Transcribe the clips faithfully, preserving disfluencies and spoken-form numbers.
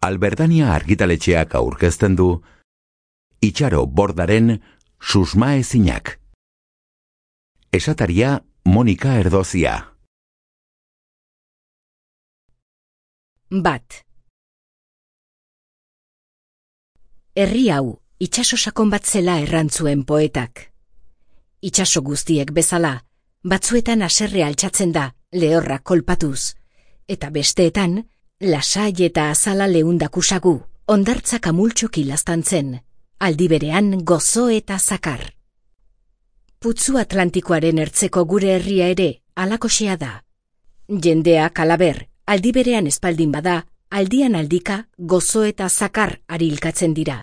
Alberdania argitaletxeak aurkezten du Itxaro Bordaren Susmaezinak. Esataria Monika Erdozia. Bat. Herri hau, itxaso sakon bat zela errantzuen poetak. Itxaso guztiek bezala, batzuetan haserre altxatzen da, lehorra kolpatuz, eta besteetan, lasai eta azala leundakusagu, ondartzak amultxoki laztantzen, aldi berean gozo eta zakar. Putzu Atlantikoaren ertzeko gure herria ere, alakoxea da. Jendea kalaber, aldi berean espaldin bada, aldian aldika gozo eta zakar arilkatzen dira.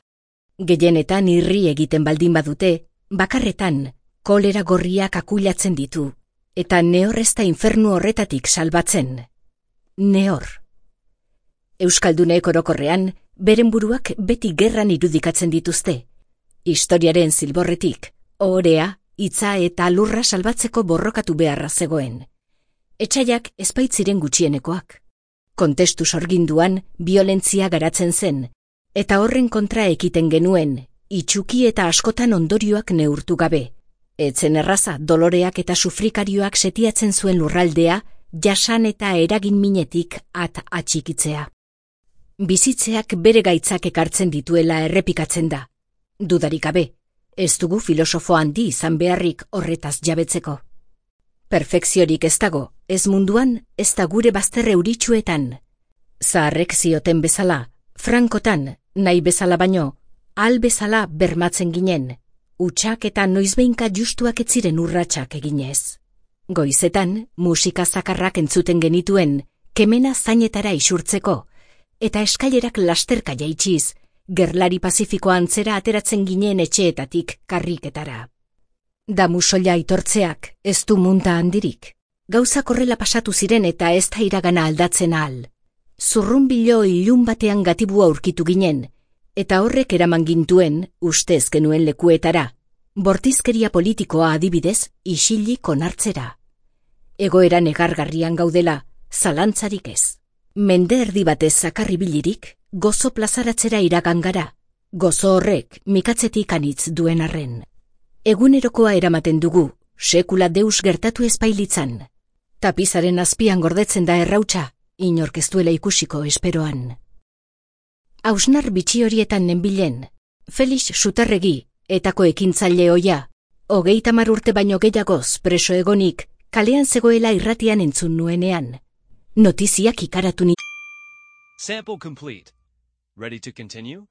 Gehienetan irri egiten baldin badute, bakarretan kolera gorriak akulatzen ditu, eta nehor ez da infernu horretatik salbatzen. Nehor. Euskaldunek orokorrean, beren buruak beti gerran irudikatzen dituzte. Historiaren zilborretik, ohorea, hitza eta lurra salbatzeko borrokatu beharra zegoen. Etsaiak espaitziren gutxienekoak. Kontestu sorginduan, biolentzia garatzen zen, eta horren kontra ekiten genuen, itxuki eta askotan ondorioak neurtu gabe. Etzen erraza doloreak eta sufrikarioak setiatzen zuen lurraldea, jasan eta eragin minetik at atxikitzea. Bizitzeak bere gaitzak ekartzen dituela errepikatzen da. Dudarik gabe, ez dugu filosofo handi izan beharrik horretaz jabetzeko. Perfekziorik ez dago, ez munduan, ez da gure bazter euritsuetan. Zaharrek zioten bezala, frankotan, nahi bezala baino, al bezala bermatzen ginen, utxak eta noizbeinka justuak ez ziren urratsak eginez. Goizetan, musika zakarrak entzuten genituen, kemena zainetara isurtzeko, eta eskailerak lasterka jaitsiz, gerlari Pazifiko antzera ateratzen ginen etxeetatik karriketara. Damu soila aitortzeak ez du munta handirik. Gauzak horrela pasatu ziren eta ez da iragana aldatzen ahal. Zurrunbilo ilun batean gatibua aurkitu ginen, eta horrek eraman gintuen, ustez genuen lekuetara, bortizkeria politikoa adibidez isilik onartzera. Egoera negargarrian gaudela, zalantzarik ez. Mende erdi batez zakarribilirik, gozo plazaratzera iragan gara, gozo horrek mikatzetik anitz duen arren. Egunerokoa eramaten dugu, sekula deus gertatu ezpailitzan. Tapizaren azpian gordetzen da errautsa, inork ez duela ikusiko esperoan. Hausnar bitxi horietan nenbilen, Felix Sutarregi, etako ekintzaile oia, hogeita hamar urte baino gehiagoz preso egonik, kalean zegoela irratian entzun nuenean. Notiziak ikaratu ni... Sample complete. Ready to continue?